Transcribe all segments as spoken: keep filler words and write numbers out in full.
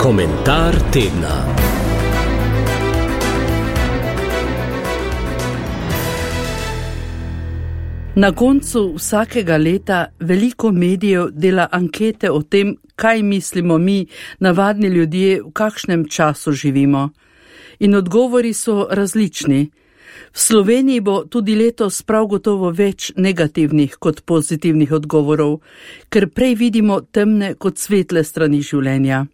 Komentar tedna. Na koncu vsakega leta veliko medijev dela ankete o tem, kaj mislimo mi, navadni ljudje, v kakšnem času živimo. In odgovori so različni. V Sloveniji bo tudi letos prav gotovo več negativnih kot pozitivnih odgovorov, ker prej vidimo temne kot svetle strani življenja.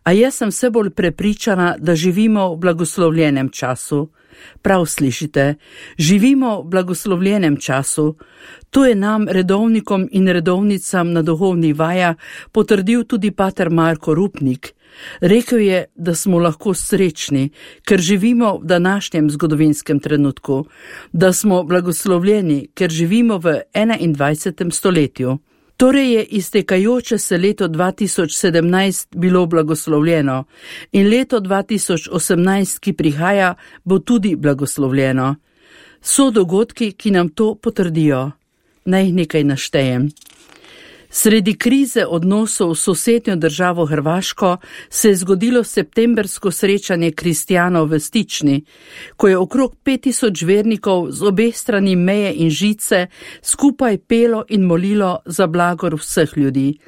A jaz sem vse bolj prepričana, da živimo v blagoslovljenem času. Prav slišite, živimo v blagoslovljenem času. To je nam, redovnikom in redovnicam na duhovnih vajah, potrdil tudi pater Marko Rupnik. Rekel je, da smo lahko srečni, ker živimo v današnjem zgodovinskem trenutku, da smo blagoslovljeni, ker živimo v enaindvajsetem stoletju. Torej je iztekajoče se leto dva tisoč sedemnajst bilo blagoslovljeno in leto dva tisoč osemnajst, ki prihaja, bo tudi blagoslovljeno. So dogodki, ki nam to potrdijo. Naj nekaj naštejem. Sredi krize odnosov s sosednjo državo Hrvaško se je zgodilo septembersko srečanje kristjanov v Stični, ko je okrog pet tisoč vernikov z obeh strani meje in žice skupaj pelo in molilo za blagor vseh ljudi.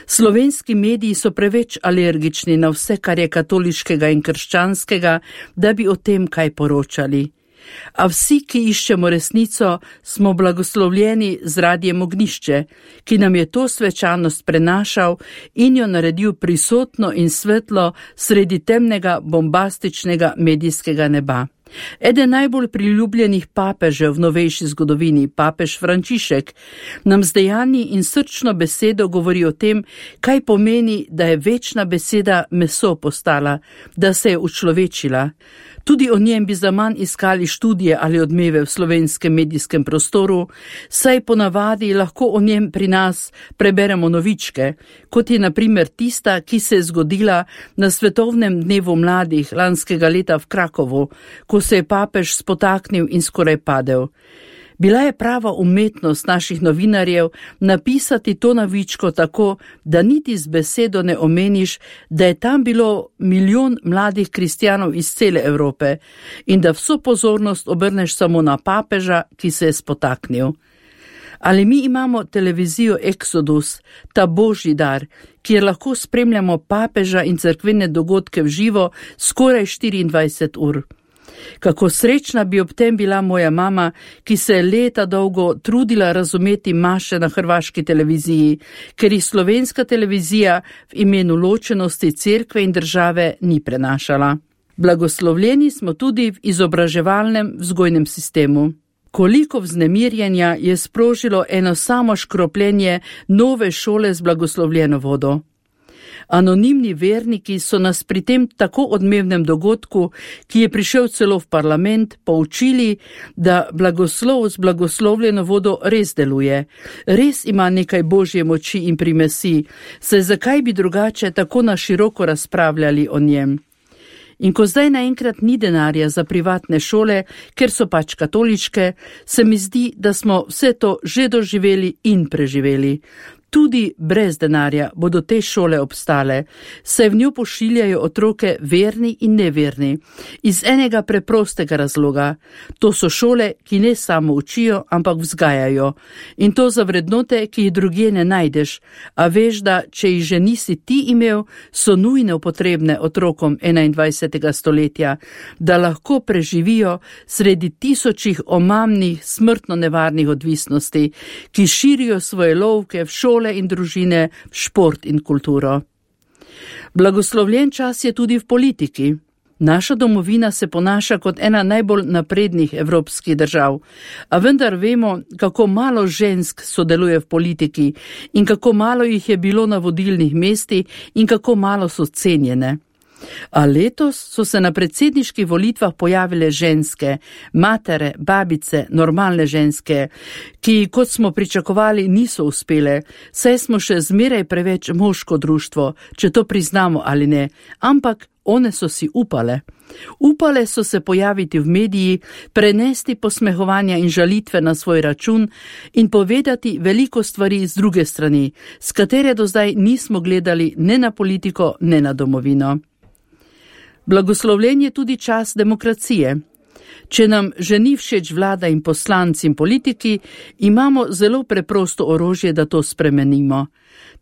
Slovenski mediji so preveč alergični na vse, kar je katoliškega in krščanskega, da bi o tem kaj poročali. A vsi, ki iščemo resnico, smo blagoslovljeni z Radiem Ognjišče, ki nam je to svečanost prenašal in jo naredil prisotno in svetlo sredi temnega bombastičnega medijskega neba. Eden najbolj priljubljenih papežev v novejši zgodovini, papež Frančišek, nam z dejanji in srčno besedo govori o tem, kaj pomeni, da je večna beseda meso postala, da se je učlovečila. Tudi o njem bi zaman iskali študije ali odmeve v slovenskem medijskem prostoru, saj ponavadi lahko o njem pri nas preberemo novičke, kot je na primer tista, ki se je zgodila na Svetovnem dnevu mladih lanskega leta v Krakovu, ko se je papež spotaknil in skoraj padel. Bila je prava umetnost naših novinarjev napisati to novičko tako, da niti z besedo ne omeniš, da je tam bilo milijon mladih kristjanov iz cele Evrope in da vso pozornost obrneš samo na papeža, ki se je spotaknil. Ali mi imamo televizijo Exodus, ta božji dar, kjer lahko spremljamo papeža in cerkvene dogodke v živo skoraj štiriindvajset ur. Kako srečna bi ob tem bila moja mama, ki se je leta dolgo trudila razumeti maše na hrvaški televiziji, ker jih slovenska televizija v imenu ločenosti cerkve in države ni prenašala. Blagoslovljeni smo tudi v izobraževalnem vzgojnem sistemu. Koliko vznemirjenja je sprožilo eno samo škropljenje nove šole z blagoslovljeno vodo. Anonimni verniki so nas pri tem tako odmevnem dogodku, ki je prišel celo v parlament, poučili, da blagoslov z blagoslovljeno vodo res deluje. Res ima nekaj božje moči in primesi, saj zakaj bi drugače tako na široko razpravljali o njem. In ko zdaj naenkrat ni denarja za privatne šole, ker so pač katoliške, se mi zdi, da smo vse to že doživeli in preživeli. Tudi brez denarja bodo te šole obstale, saj v njo pošiljajo otroke verni in neverni, iz enega preprostega razloga. To so šole, ki ne samo učijo, ampak vzgajajo. In to za vrednote, ki jih drugje ne najdeš, a veš, da če jih že nisi ti imel, so nujno potrebne otrokom enaindvajsetega stoletja, da lahko preživijo sredi tisočih omamnih, smrtno nevarnih odvisnosti, ki širijo svoje lovke v šole in družine, šport in kulturo. Blagoslovljen čas je tudi v politiki. Naša domovina se ponaša kot ena najbolj naprednih evropskih držav, a vendar vemo, kako malo žensk sodeluje v politiki in kako malo jih je bilo na vodilnih mestih in kako malo so cenjene. A letos so se na predsedniških volitvah pojavile ženske, matere, babice, normalne ženske, ki, kot smo pričakovali, niso uspele, saj smo še zmeraj preveč moško društvo, če to priznamo ali ne, ampak One so si upale. Upale so se pojaviti v mediji, prenesti posmehovanja in žalitve na svoj račun in povedati veliko stvari z druge strani, s katere do zdaj nismo gledali ne na politiko, ne na domovino. Blagoslovljen je tudi čas demokracije. Če nam že ni všeč vlada in poslanci in politiki, imamo zelo preprosto orožje, da to spremenimo.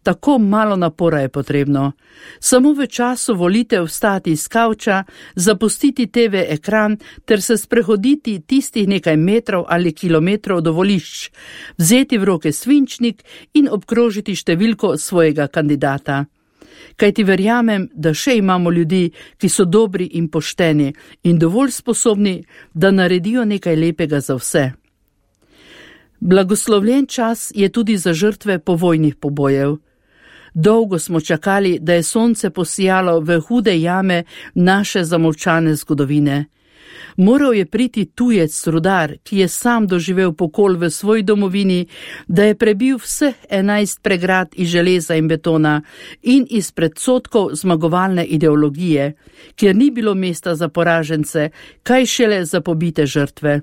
Tako malo napora je potrebno. Samo v času volitev vstati iz kavča, zapustiti te ve ekran ter se sprehoditi tistih nekaj metrov ali kilometrov do volišč, vzeti v roke svinčnik in obkrožiti številko svojega kandidata. Kajti verjamem, da še imamo ljudi, ki so dobri in pošteni in dovolj sposobni, da naredijo nekaj lepega za vse. Blagoslovljen čas je tudi za žrtve povojnih pobojev. Dolgo smo čakali, da je sonce posijalo v hude jame naše zamolčane zgodovine. Moral je priti tujec rudar, ki je sam doživel pokol v svoji domovini, da je prebil vseh enajst pregrad iz železa in betona in iz predsodkov zmagovalne ideologije, kjer ni bilo mesta za poražence, kaj šele za pobite žrtve.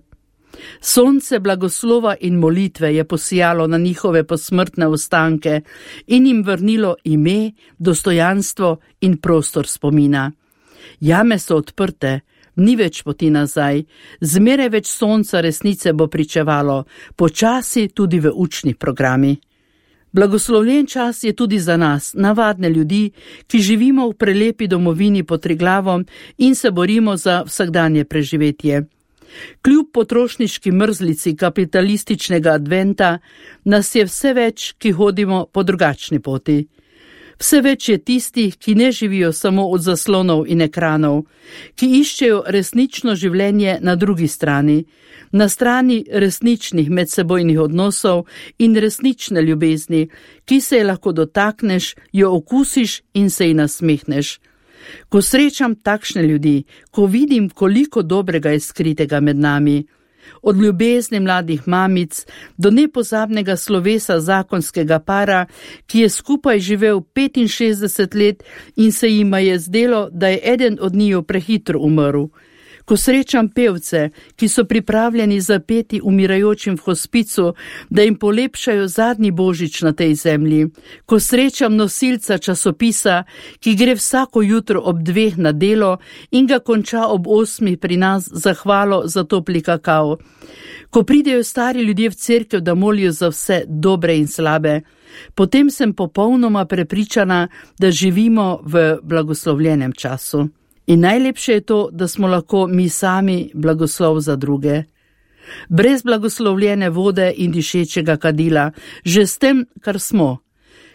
Sonce blagoslova in molitve je posijalo na njihove posmrtne ostanke in jim vrnilo ime, dostojanstvo in prostor spomina. Jame so odprte, ni več poti nazaj, zmeraj več sonca resnice bo pričevalo, počasi tudi v učnih programih. Blagoslovljen čas je tudi za nas, navadne ljudi, ki živimo v prelepi domovini pod Triglavom in se borimo za vsakdanje preživetje. Kljub potrošniški mrzlici kapitalističnega adventa nas je vse več, ki hodimo po drugačni poti. Vse več je tistih, ki ne živijo samo od zaslonov in ekranov, ki iščejo resnično življenje na drugi strani, na strani resničnih medsebojnih odnosov in resnične ljubezni, ki se je lahko dotakneš, jo okusiš in se ji nasmehneš. Ko srečam takšne ljudi, ko vidim, koliko dobrega je skritega med nami, od ljubezni mladih mamic do nepozabnega slovesa zakonskega para, ki je skupaj živel petinšestdeset let in se jima je zdelo, da je eden od njiju prehitro umrl. Ko srečam pevce, ki so pripravljeni zapeti umirajočim v hospicu, da jim polepšajo zadnji božič na tej zemlji. Ko srečam nosilca časopisa, ki gre vsako jutro ob dveh na delo in ga konča ob osmih pri nas za hvalo za topli kakao. Ko pridejo stari ljudje v cerkev, da molijo za vse dobre in slabe, potem sem popolnoma prepričana, da živimo v blagoslovljenem času. In najlepše je to, da smo lahko mi sami blagoslov za druge. Brez blagoslovljene vode in dišečega kadila, že s tem, kar smo.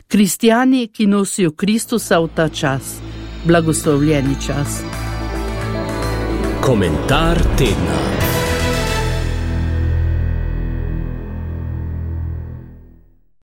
Kristjani, ki nosijo Kristusa v ta čas. Blagoslovljeni čas. Komentar tedna.